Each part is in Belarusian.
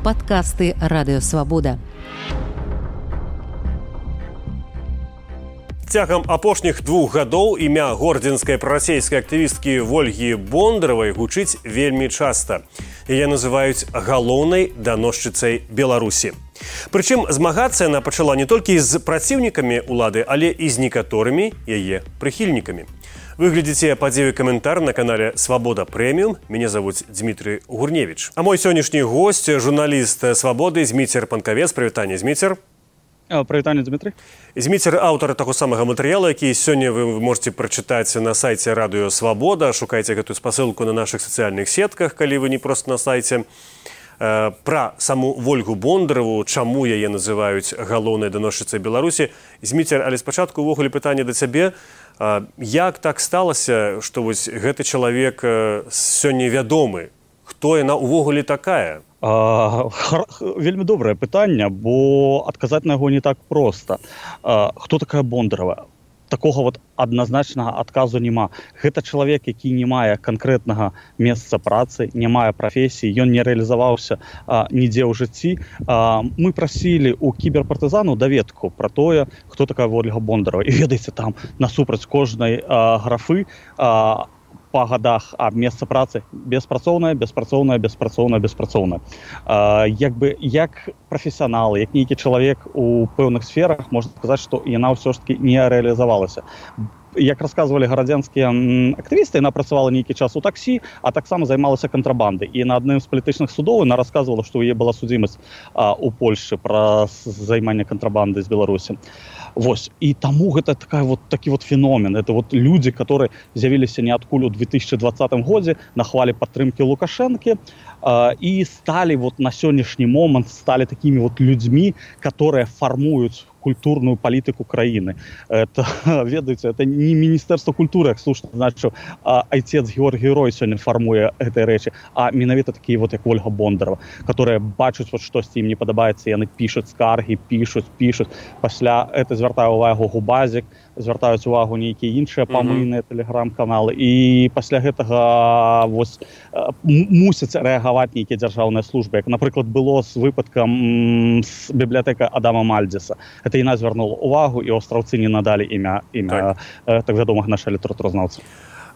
падкасты Радыёвабода. Цягам апошніх 2 гадоў імя гордзенскай прарасейскай актывісткі Вольгі Бондаравай гучыць вельмі часта. Яе называюць галоўнай даносчыцай Беларусі. Прычым змагацца яна пачала не толькі з праціўнікамі ўлады, але і з некаторымі яе прыхільнікамі. Вы глядзіце падзею каментар на канале «Свабода Прэміум». Мяне завуць Дмітрый Гурневіч. А мой сённяшні госць – журналіст «Свабоды» Зміцер Панкавец. Прывітанне, Зміцер. Прывітанне, Дмітрый. Зміцер – аўтар таго самага матэрыяла, які сёння вы можете прачытаць на сайце Радыё Свабода. Шукайце гэтую спасылку на нашых сацыяльных сетках, калі вы не проста на сайце. Пра саму Вольгу Бондараву, чаму яе называюць галоўнай даносчыцай Беларусі. Зміцер, але спачатку ўвогуле пытанне да цябе. Як так сталася, што вось гэты чалавек сёння вядомы? Хто яна ўвогуле такая? Вельмі добрае пытанне, бо адказаць на яго не так проста. Хто такая Бондарава? Такога вот адназначнага адказу няма. Гэта чалавек, які не мае канкрэтнага месца працы, не мае прафесіі, ён не рэалізаваўся нідзе ў жыцці. Мы прасілі ў кіберпартызану даведку пра тое, хто такая Вольга Бондарава. І ведаеце, там насупраць кожнай графы па гадах месца працы беспрацоўная, беспрацоўная, беспрацоўная, беспрацоўная. Як прафесіянал, як нейкі чалавек у пэўных сферах, можна сказаць, што яна ўсё ж таки не рэалізавалася. Як расказвалі гарадзянскія актывісты, яна працавала нейкі час у таксі, а таксама займалася кантрабандай. І на адным з палітычных судоў яна расказвала, што ў яе была судзімасць у Польшы пра займанне кантрабандай з Беларусі. Вось. І таму гэта такі феномен. Это людзі, которые з'явіліся ніадкуль у 2020 годзе на хвалі падтрымкі Лукашэнкі і сталі на сённяшні момант сталі такімі людзьмі, которые фармуюць культурную палітыку краіны. Это, ведаеце, это не Міністэрства культуры, як слушна значыў, айцец Георгій Рой сёння фармуе гэтай рэчы, а менавіта такія як Вольга Бондарава, которые бачаць штосьці ім не падабаецца, яны пішуць скаргі, пішуць. Пасля это звяртае ўвагу Губазік, звяртаюць увагу нейкія іншыя памыйныя тэлеграм-каналы, і пасля гэтага мусяць рэагаваць нейкія дзяржаўныя службы, як, напрыклад, было з выпадкам з бібліятэка Адама Мальдзеса. Это яна звярнула увагу, і аўстраўцы не надалі імя так вядомага нашага літаратуразнаўцы.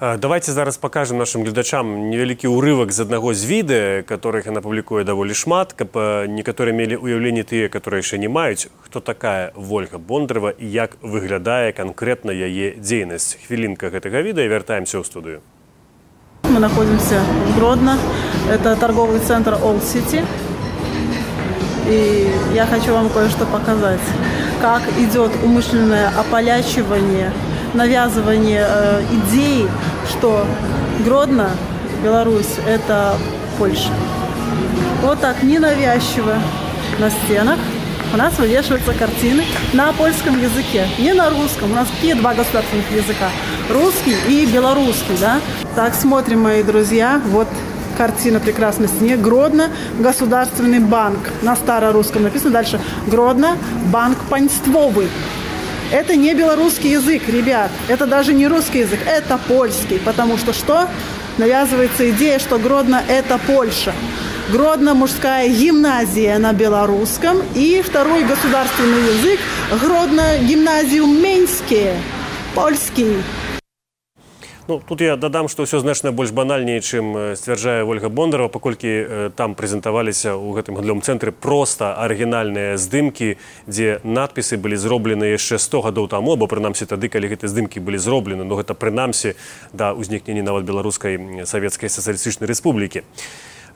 Давайте зараз покажем нашим глядачам невялікі ўрывак з аднаго з відэа, которых яна публікуе даволі шмат, каб некаторыя мелі ўяўленне тыя, которые яшчэ не маюць, хто такая Вольга Бондарава і як выглядае канкрэтна яе дзейнасць. Хвілінка гэтага відэа, вяртаемся ў студыю. Мы находимся в Гродно. Это торговый центр All City. И я хочу вам кое-что показать. Как идет умышленное ополячивание, навязывание идеи, что Гродно, Беларусь, это Польша. Вот так ненавязчиво на стенах у нас вывешиваются картины на польском языке, не на русском. У нас какие 2 государственных языка? Русский и белорусский, да? Так, смотрим, мои друзья, вот картина прекрасной стене. Гродно, Государственный банк. На старорусском написано дальше. Гродно, банк панствовый. Это не белорусский язык, ребят. Это даже не русский язык, это польский. Потому что что? Навязывается идея, что Гродно – это Польша. Гродно – мужская гимназия на белорусском. И второй государственный язык – Гродно – гимназиум Меньские, польский. Тут я дадам, што ўсё значна больш банальней, чым сцвярджае Вольга Бондарава, паколькі там прэзентаваліся ў гэтым гандлёвым цэнтры проста арыгінальныя здымкі, дзе надпісы былі зроблены яшчэ 100 гадоў таму, або прынамсі тады, калі гэтыя здымкі былі зроблены, но гэта прынамсі да ўзнікнення нават Беларускай Савецкай Сацыялістычнай Рэспублікі.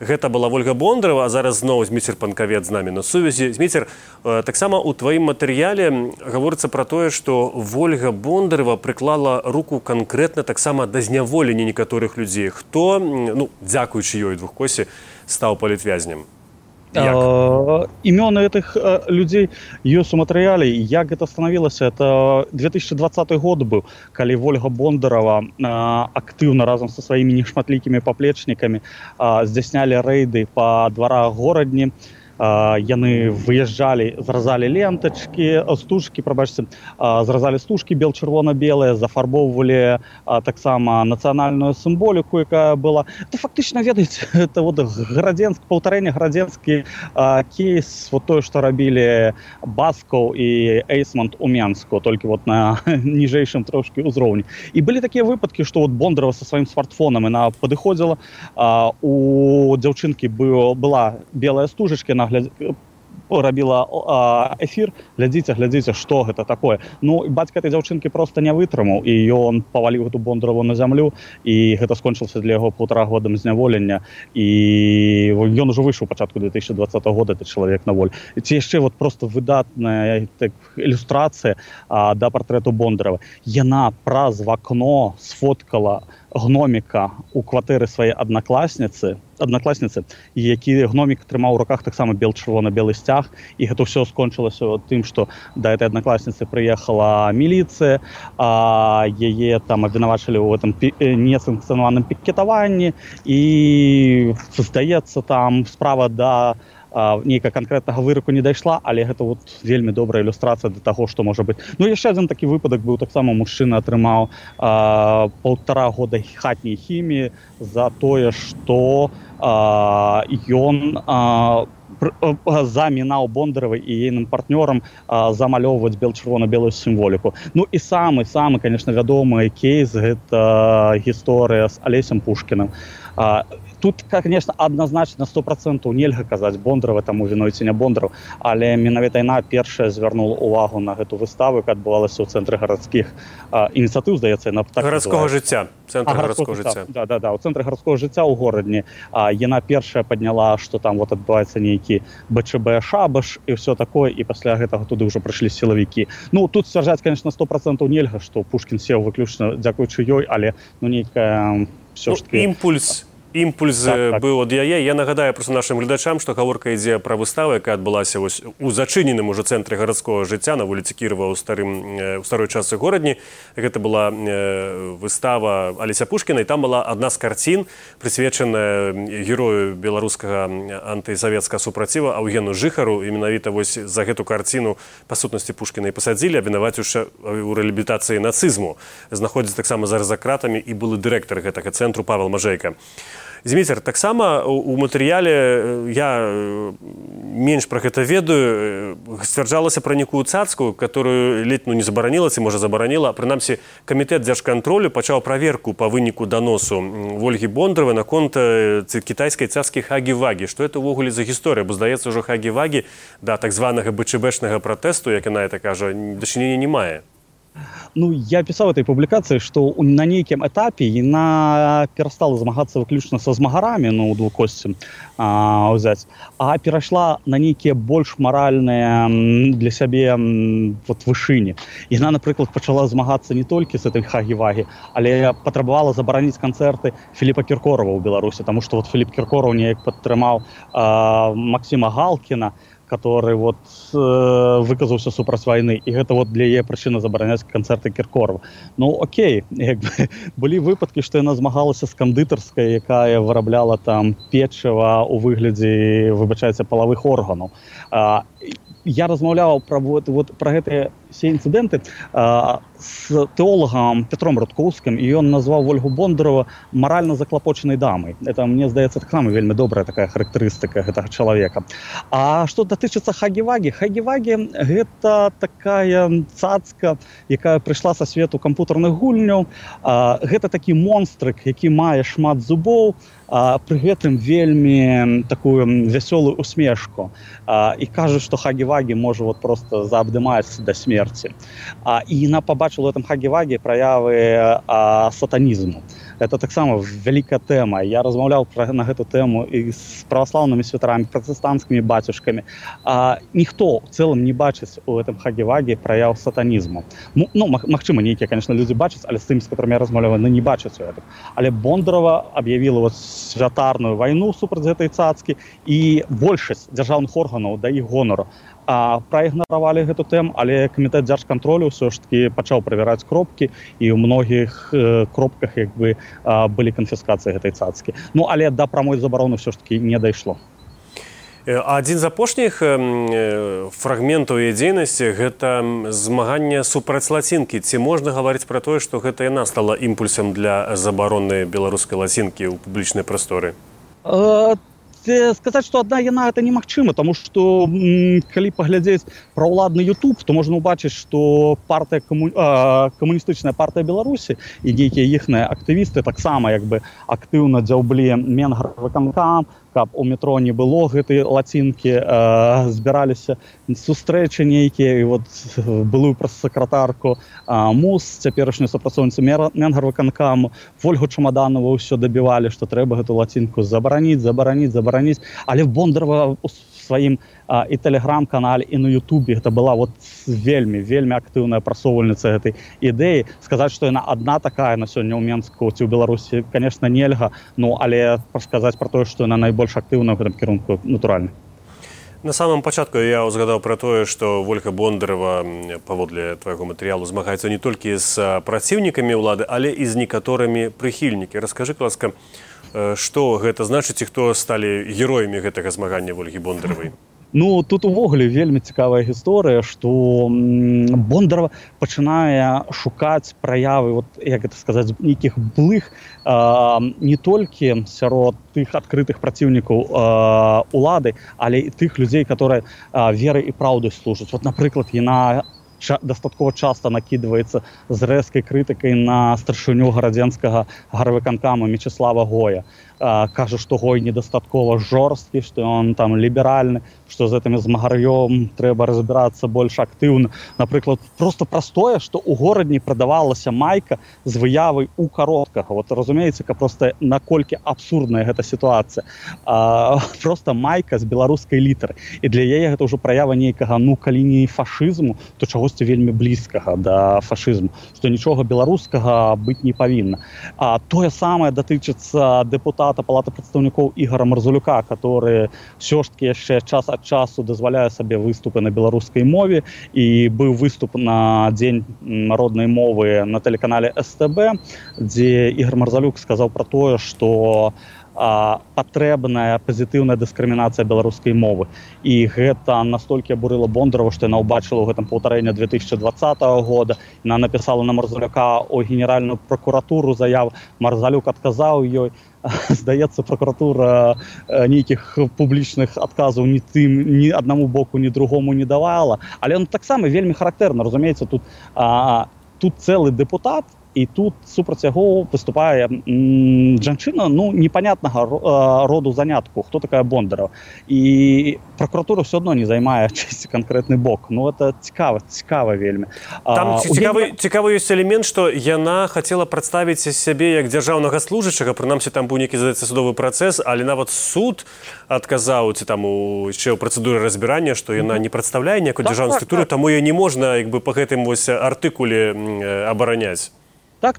Гэта была Вольга Бондарава, а зараз зноў Зміцер Панкавец з намі на сувязі. Зміцер, таксама ў тваім матэрыяле гаворыцца пра тое, што Вольга Бондарава прыклала руку канкрэтна таксама да зняволення некаторых людзей. Хто, дзякуючы ёй двухкосе, стаў палітвязнем? Імёны этих людей ёсць у матэрыяле. Як гэта станавілася? Это 2020 год быў, калі Вольга Бондарава актыўна разам са сваімі нешматлікімі паплечнікамі здзяйснялі рэйды па дварах горадні, яны выязджалі, зразалі лентачкі, стужкі, прабачце, зразалі стужкі бел-чырвона-белыя, зафарбоўвалі таксама нацыянальную сімволіку, якая была. Это фактычна, ведаеце, это вот паўтарэнне градзенскі кейс, вот тое, што рабілі Баскаў і Эйсмонт у Менску, толькі вот на ніжэйшым трошкі ўзроўні. І былі такія выпадкі, што вот Бондарова са сваім смартфонам яна падыходзіла, у дзяўчынкі была белая стужачка, яна рабіла эфір, глядзіце, што гэта такое. Ну, бацька этой дзяўчынкі проста не вытрымаў, і ён паваліў гэту Бондарову на зямлю, і гэта скончылася для яго 1,5 годам зняволення, і ён ужо выйшаў у пачатку 2020 года, этот чалавек на волі. Ці яшчэ вот просто выдатная ілюстрацыя да партрэту Бондарова. Яна праз вакно сфоткала гноміка у кватэры сваёй аднакласніцы, які гномік трымаў у руках таксама бел-чырвона-белы сцяг, і гэта ўсё скончылася тым, што да этой аднакласніцы прыехала міліцыя, яе там абвінавачылі ў гэтым несанкцыянаваным пікетаванні, і здаецца, там справа да нейкага канкрэтнага выраку не дайшла, але гэта вот вельмі добрая ілюстрацыя да таго, што можа быць. Ну, яшчэ адзін такі выпадак быў, таксама мужчына атрымаў 1,5 года хатняй хіміі за тое, што ён замінаў Бондаровай і ейным партнёрам замалёўваць бел-чырвона-белую сімволіку. Ну і самы, конечно, вядомы кейс — гэта гісторыя з Алесем Пушкіным. Тут, конечно, адназначна 100% нельга казаць Бондарова, таму вінуеце не Бондаров, але менавіта яна першая звярнула увагу на гэту выставу, яка адбывалася ў цэнтры гарадскіх ініцыятыў, здаецца, яна так гарадскога жыцця. Цэнтр гарадскога жыцця. Да, у цэнтры гарадскога жыцця ў горадні. Яна першая падняла, што там вот адбываецца нейкі БЧБ шабаш і ўсё такое, і пасля гэтага туды ўжо прыйшлі сілавікі. Ну, тут сцвярджаць, конечно, 100% нельга, што Пушкін сеў выключна дзякуючы ёй, але нейкая ўсё ж такі імпульс быў ад яе. Я нагадаю просто нашим гледачам, што гаворка ідзе пра выставу, якая адбылася у зачыненым уже цэнтры гарадскога жыцця на вуліцы Кірова ў старой частцы горадні. Гэта была выстава Алеся Пушкіна, і там была адна з карцін, прысвечаная герою беларускага антысавецкага супраціва Аўгену Жыхару. І менавіта вось за гэту карціну па сутнасці Пушкіна і пасадзілі, абвінаваціўшы ў рэабілітацыі нацызму. Знаходзіцца таксама зараз за кратамі і былы дырэктар гэтага цэнтру Павел Мажэйка. Зміцер, таксама у матэрыяле, я менш пра гэта ведаю, сцвярджалася пра нейкую цацку, которую ледь не забараніла, ці можа забараніла. Прынамсі, камітэт дзяржкантролю пачаў праверку па выніку даносу Ольгі Бондаровай наконт кітайскай цацкі Хагі-Вагі. Што это ўвогуле за гісторыя? Бо, здаецца, ўжо Хагі-Вагі да так званага БЧБшнага пратэсту, як яна это кажа, дачынення не мае. Ну, я писал в этой публикации, что на неким этапе она перестала змагацца выключна со змагарамі, ну, двукосцем взять, а перешла на некие больш моральные для сябе вот вышыні. Яна, например, пачала змагацца не только с этой Хагі-Вагі, але патрабавала забараніць канцэрты Філіпа Кіркорава ў Беларусі, потому что вот Філіп Кіркораў неяк падтрымаў Максима Галкіна, который вот выказаўся супраць вайны, і гэта вот для яе прычына забараняць канцэрты Кіркорава. Ну, окей, як бы былі выпадкі, што яна змагалася з кандытарскай, якая вырабляла там печыва ў выглядзе, выбачайце, палавых органаў. Я размаўляў пра гэтыя все інцыдэнты з тэолагам Петром Рудкоўскім, і ён назваў Ольгу Бондарова маральна заклапочанай дамай. Это, мне здаецца, таксама вельмі добрая такая характарыстыка гэтага чалавека. А што датычыцца Хагі-Вагі? Хагі-Вагі — гэта такая цацка, якая прыйшла са свету кампутарных гульняў. Гэта такі монстрык, які мае шмат зубоў, пры гэтым вельмі такую вясёлую усмешку. І кажуць, што Хагі-Вагі можа вот просто заабдымаць да смерці. І яна пабачыла ў гэтым Хагі-Вагі праявы сатанізму. Это таксама вялікая тэма. Я размаўляў на гэту тэму і з праваслаўнымі святарамі, пратэстанцкімі бацюшкамі. Ніхто ў цэлым не бачыць у гэтым Хагі-Вагі праяў сатанізму. Ну, магчыма, нейкія, конечно, людзі бачаць, але з тымі, з которымі я размаўляў, не бачаць у гэтым. Але Бондарова аб'явіла вот святарную вайну супраць гэтай цацкі, і большасць дзяржаўных органаў да іх гонару праігнаравалі гэту тэму, але камітэт дзяржкантролю ўсё ж такі пачаў правяраць кропкі, і ў многіх кропках як бы былі канфіскацыі гэтай цацкі. Ну, але да прамой забароны ўсё ж такі не дайшло. Адзін з апошніх фрагментаў яе дзейнасці гэта змаганне супраць лацінкі. Ці можна гаварыць пра тое, што гэта яна стала імпульсам для забароны беларускай лацінкі ў публічнай прасторы? Сказаць, што адна яна гэта немагчыма, таму што калі паглядзець пра ўладны YouTube, то можна ўбачыць, што камуністычная партыя Беларусі і нейкія іхныя актывісты таксама як бы актыўна дзяўблі Менгарвыканкам, каб у метро не было гэтай лацінкі, збіраліся сустрэчы нейкія, і вот былую прэс-сакратарку МУС, цяперашнюю супрацоўніцу Менгарвыканкаму, Ольгу Чамаданову ўсё дабівалі, што трэба гэту лацінку забараніць, але Бондарова у сваім і тэлеграм-канале, і на Ютубе гэта была вот вельмі актыўная прасоўвальніца гэтай ідэі. Сказаць, што яна адна такая на сёння ў Менску ці ў Беларусі, конечно, нельга, але сказаць пра тое, што яна найбольш актыўна ў гэтым кірунку, натуральна. На самом пачатку я узгадаў пра тое, што Ольга Бондарова, паводле твайго матэрыялу, змагаецца не толькі з праціўнікамі ўлады, але і з некаторымі прыхільнікамі. Раскажы, ласка, што гэта значыць і хто сталі героямі гэтага змагання Ольгі Бондаровай? Ну, тут увогуле вельмі цікавая гісторыя, што Бондарова пачынае шукаць праявы, вот, як гэта сказаць, нейкіх былых не толькі сярод тых адкрытых праціўнікаў улады, але і тых людзей, которые верай і праўдай служаць. Вот, напрыклад, яна дастаткова часта накідваецца з рэзкай крытыкай на старшыню гарадзенскага гарвыканкаму Мечыслава Гоя. Кажа, што Гой недастаткова жорсткі, што ён там ліберальны, што з гэтым змагар'ём трэба разбірацца больш актыўна. Напрыклад, просто простое, што ў горадні прадавалася майка з выявай у кароткага. Вот разумееце, просто наколькі абсурдная гэта сітуацыя. Просто майка з беларускай літары. І для яе гэта ўжо праява нейкага, калі не фашызму, то чагосьці вельмі блізкага да фашызму, што нічога беларускага быць не павінна. Тое самае датычыцца дэпутата Палаты прадстаўнікоў Ігора Марзулюка, который ўсё ж таки яшчэ час ад часу дазваляе сабе выступы на беларускай мове, і быў выступ на дзень народнай мовы на тэлеканале СТБ, дзе Ігор Марзулюк сказаў пра тое, што патрэбная пазітыўная дыскрымінацыя беларускай мовы. І гэта настолькі абурыла Бондарова, што яна ўбачыла ў гэтым паўтарэння 2020 года. Яна напісала на Марзулюка ў генеральную пракуратуру заяву. Марзулюк адказаў ёй. Здаецца, пракуратура нейкіх публічных адказаў ні аднаму боку, ні другому не давала. Але он таксама вельмі характэрна, разумееце, тут цэлы дэпутат, і тут супраць яго выступае жанчына, непонятнага роду занятку, хто такая Бондарова. І прокуратура все одно не займае чысці канкрэтны бок. Это цікава вельмі. Там цікавы ёсць элемент, што яна хацела прадставіць сябе як дзяржаўнага служачага, прынамсі там быў нейкі, здаецца, судовы працэс, але нават суд адказаў, ці там яшчэ ў працэдуры разбірання, што яна не прадстаўляе ніякую дзяржаўную структуру, таму яе не можна па гэтым артыкуле абараняць. Так,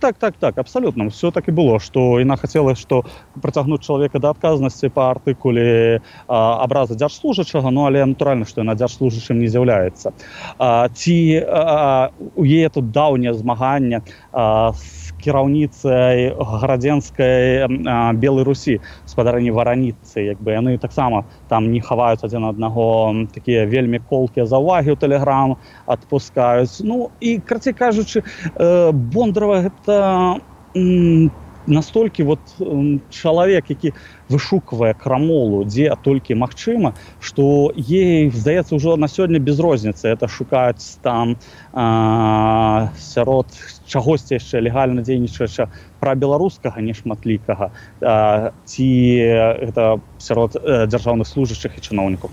абсолютно. Все так и было, что яна хотела, что притягнуть человека до отказности по артикуле образа дзяржслужачага, але натуральна, что яна дзяржслужачым не з'яўляецца. У яе тут даўняе змаганне з кіраўніцай гарадзенскай Белай Русі, спадарыні Вараніцы, яны таксама там не хаваюць адзін аднаго, такія вельмі колкія заўвагі ў тэлеграм адпускаюць. І, карацей кажучы, Бондарова гэта настолькі чалавек, які вышуквае крамолу, дзе толькі магчыма, што ей, здаецца, ўжо на сёння без розніцы. Это шукаць там сярод чагосьці яшчэ легальна дзейнічаюча прабеларускага нешматлікага, ці гэта сярод дзяржаўных служачых і чыноўнікаў.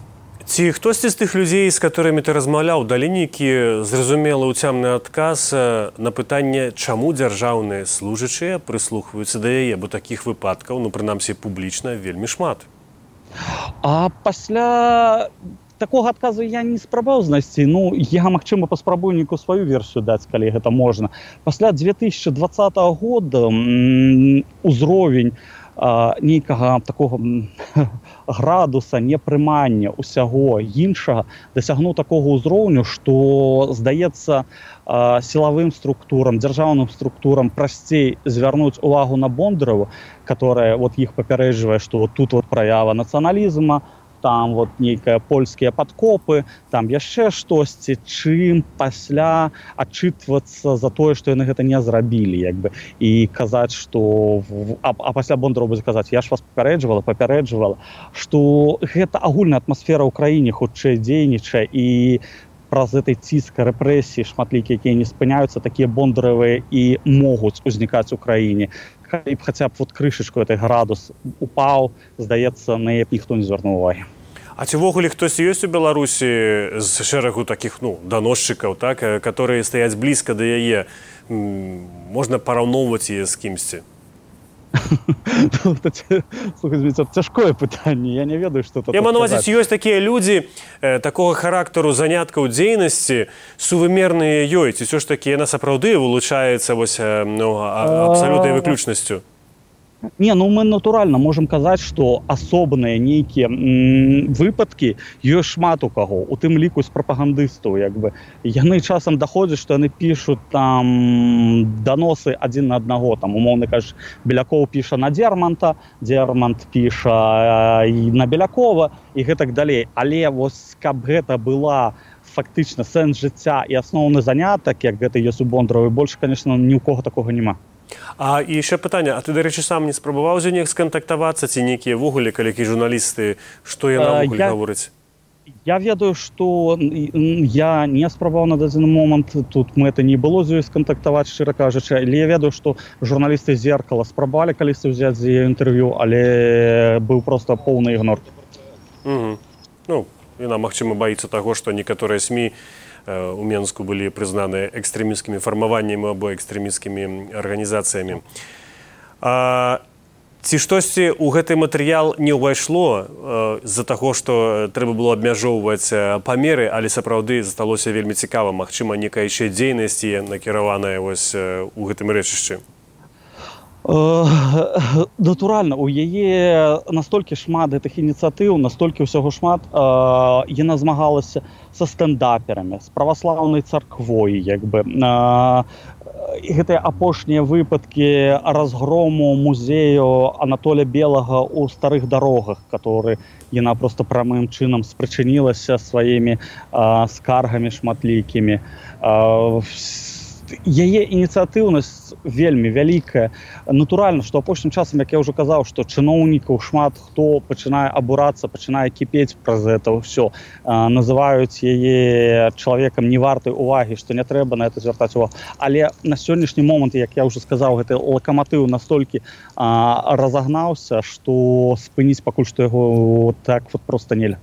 Ці хтосьці з тых людзей, з которымі ты размаўляў, далі нейкі зразумелы ўцямны адказ на пытанне, чаму дзяржаўныя служачыя прыслухваюцца да яе, бо такіх выпадкаў, прынамсі публічна, вельмі шмат. Пасля такога адказу я не спрабаваў знайсці. Я, магчыма, паспрабую нейкую сваю версію даць, калі гэта можна. Пасля 2020 года ўзровень нейкага такога градуса непрымання ўсяго іншага дасягнуў такога ўзроўню, што, здаецца, сілавым структурам, дзяржаўным структурам прасцей звярнуць увагу на Бондарову, которая іх папярэджвае, што тут праява нацыяналізма, там вот нейкія польскія падкопы, там яшчэ штосьці, чым пасля адчытвацца за тое, што яны гэта не зрабілі, як бы, і казаць, што а пасля Бондару будзе казаць, я ж вас папярэджвала, што гэта агульная атмасфера ў краіне хутчэй дзейнічае, і праз этой ціска, рэпрэсіі шматлікія, якія не спыняюцца, такія бондаравыя і могуць узнікаць у краіне. Калі б хаця б вот крышачку этой градус упаў, здаецца, на яе ніхто не звярнуў увагі. А ці ўвогуле хтось ёсць у Беларусі з шэрагу такіх, даносчыкаў, так, которые стаяць блізка да яе? Можна параўноўваць яе з кімсьці? Слухай, цяжкое пытанне, я не ведаю, што тут сказаць. Я маю на ўвазе, ёсць такія людзі такога характару заняткаў дзейнасці, сувымерныя ёй, ці ўсё ж такі яна сапраўды вылучаецца абсалютнай выключнасцю? Не, мы натуральна можам казаць, што асобныя нейкія выпадкі ёсць шмат у каго, у тым ліку з прапагандыстаў, як бы. Яны часам даходзяць, што яны пішуць там даносы адзін на аднаго, там, умоўна кажучы, Белякоў піша на Дзерманта, Дзермант піша на Белякова і гэтак далей. Але вось каб гэта была фактычна сэнс жыцця і асноўны занятак, як гэта ёсць у Бондаравай, больш, конечно, ні ў кого такога няма. А і яшчэ пытанне, а ты, дарэчы, сам не спрабаваў з неяк скантактавацца, ці нейкія ввогуле калекі журналісты, што яна ввогуле гаворыць? Я ведаю, што я не спрабаваў на дадзены момант, тут мэты не было з ёй скантактаваць, шчыра кажучы, але я ведаю, што журналісты «Зеркала» спрабавалі калісьці ўзяць з яе інтэрв'ю, але быў проста поўны ігнор. Яна, магчыма, баіцца таго, што некаторыя СМІ у Менску былі прызнаны экстрэмісцкімі фармаваннямі або экстрэмісцкімі арганізацыямі. Ці штосьці ў гэты матэрыял не ўвайшло з-за таго, што трэба было абмяжоўваць памеры, але сапраўды засталося вельмі цікава, магчыма, некая яшчэ дзейнасць накіраваная у гэтым рэчышчы? Натуральна, у яе настолькі шмат гэтых ініцыятыў, настолькі ўсяго шмат, яна змагалася са стэндаперамі, з праваслаўнай царквой, як бы. Гэтыя апошнія выпадкі разгрому музею Анатолія Белага ў старых дарогах, который яна просто прамым чынам спрычынілася сваімі скаргамі шматлікімі. Яе ініцыятыўнасць вельмі вялікая. Натуральна, што апошнім часам, як я ўжо казаў, што чыноўнікаў шмат хто пачынае абурацца, пачынае кіпець праз гэта ўсё. Называюць яе чалавекам не вартай увагі, што не трэба на гэта звяртаць увагу. Але на сённяшні момант, як я ўжо сказаў, гэты лакаматыў настолькі разагнаўся, што спыніць пакуль што яго так вот проста нельга.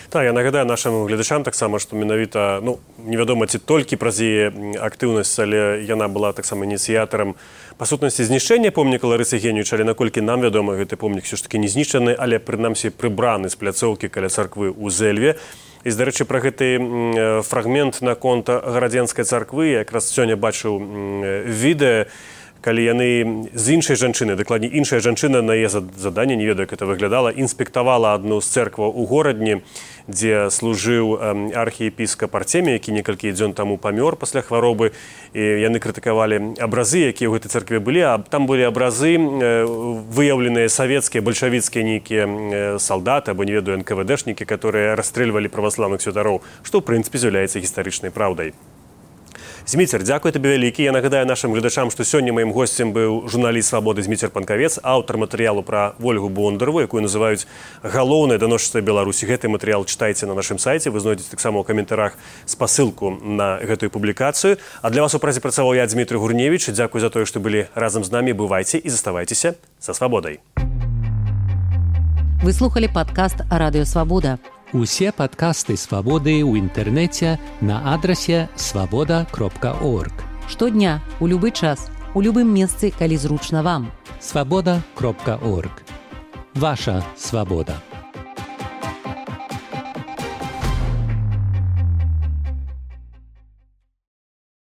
Так, я нагадаю нашим глядачам таксама, што менавіта, невядома, ці толькі праз яе актыўнасць, але яна была таксама ініцыятарам па сутнасці знішчэння помніка Ларысы Генівіч, але наколькі нам вядома, гэты помнік все ж таки не знішчаны, але прынамсі прыбраны з пляцоўкі каля царквы ў Зэльве. І, дарэчы, пра гэты фрагмент наконт Гарадзенскай царквы якраз сёння бачыў відэа, калі яны з іншай жанчыны, дакладней іншая жанчына на яе заданне, не ведаю, як это выглядала, інспектавала адну з цэркваў у горадні, дзе служыў архіепіскап Артемій, які некалькі дзён таму памёр пасля хваробы. І яны крытыкавалі абразы, якія ў гэтай цэркве былі, а там былі абразы, выяўленыя савецкія, бальшавіцкія нейкія салдаты, або, не ведаю, НКВДшнікі, которые расстрэльвалі праваслаўных святароў, што, ў прынцыпе, з'яўляецца гістарычнай праўдай. Зміцер, дзякуй табе вялікі. Я нагадаю нашим глядачам, што сёння маім госцем быў журналіст «Свабоды» Зміцер Панкавец, аўтар матэрыялу пра Ольгу Бондарову, якую называюць галоўнай даносчыцай Беларусі. Гэты матэрыял чытайце на нашым сайце, вы знойдзеце таксама ў каментарах спасылку на гэтую публікацыю. А для вас у празе працаваў я, Дмітрый Гурневіч. Дзякуй за тое, што былі разам з намі. Бывайце і заставайцеся са свабодай. Вы слухали падкаст «Радыё Свабода». Усе падкасты «Свабоды» ў інтэрнэце на адрасе свабода.орг. Штодня, у любы час, у любым месцы, калі зручна вам. Свабода.орг. Ваша свабода.